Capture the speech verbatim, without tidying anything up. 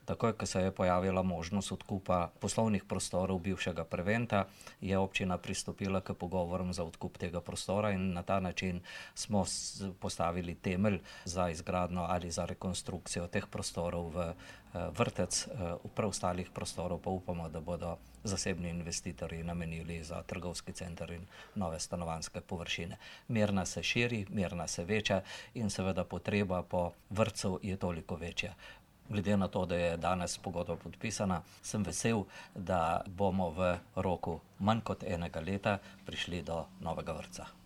Takoj, ko se je pojavila možnost odkupa poslovnih prostorov bivšega Preventa, je občina pristopila k pogovorom za odkup tega prostora in na ta način smo postavili temelj za izgradnjo ali za rekonstrukcijo teh prostorov v vrtec. V preostalih prostorov pa upamo, da bodo zasebni investitorji namenili za trgovski center in nove stanovanjske površine. Mirna se širi, Mirna se veča in seveda potreba po vrtcu je toliko večja. Glede na to, da je danes pogodba podpisana, sem vesel, da bomo v roku manj kot enega leta prišli do novega vrtca.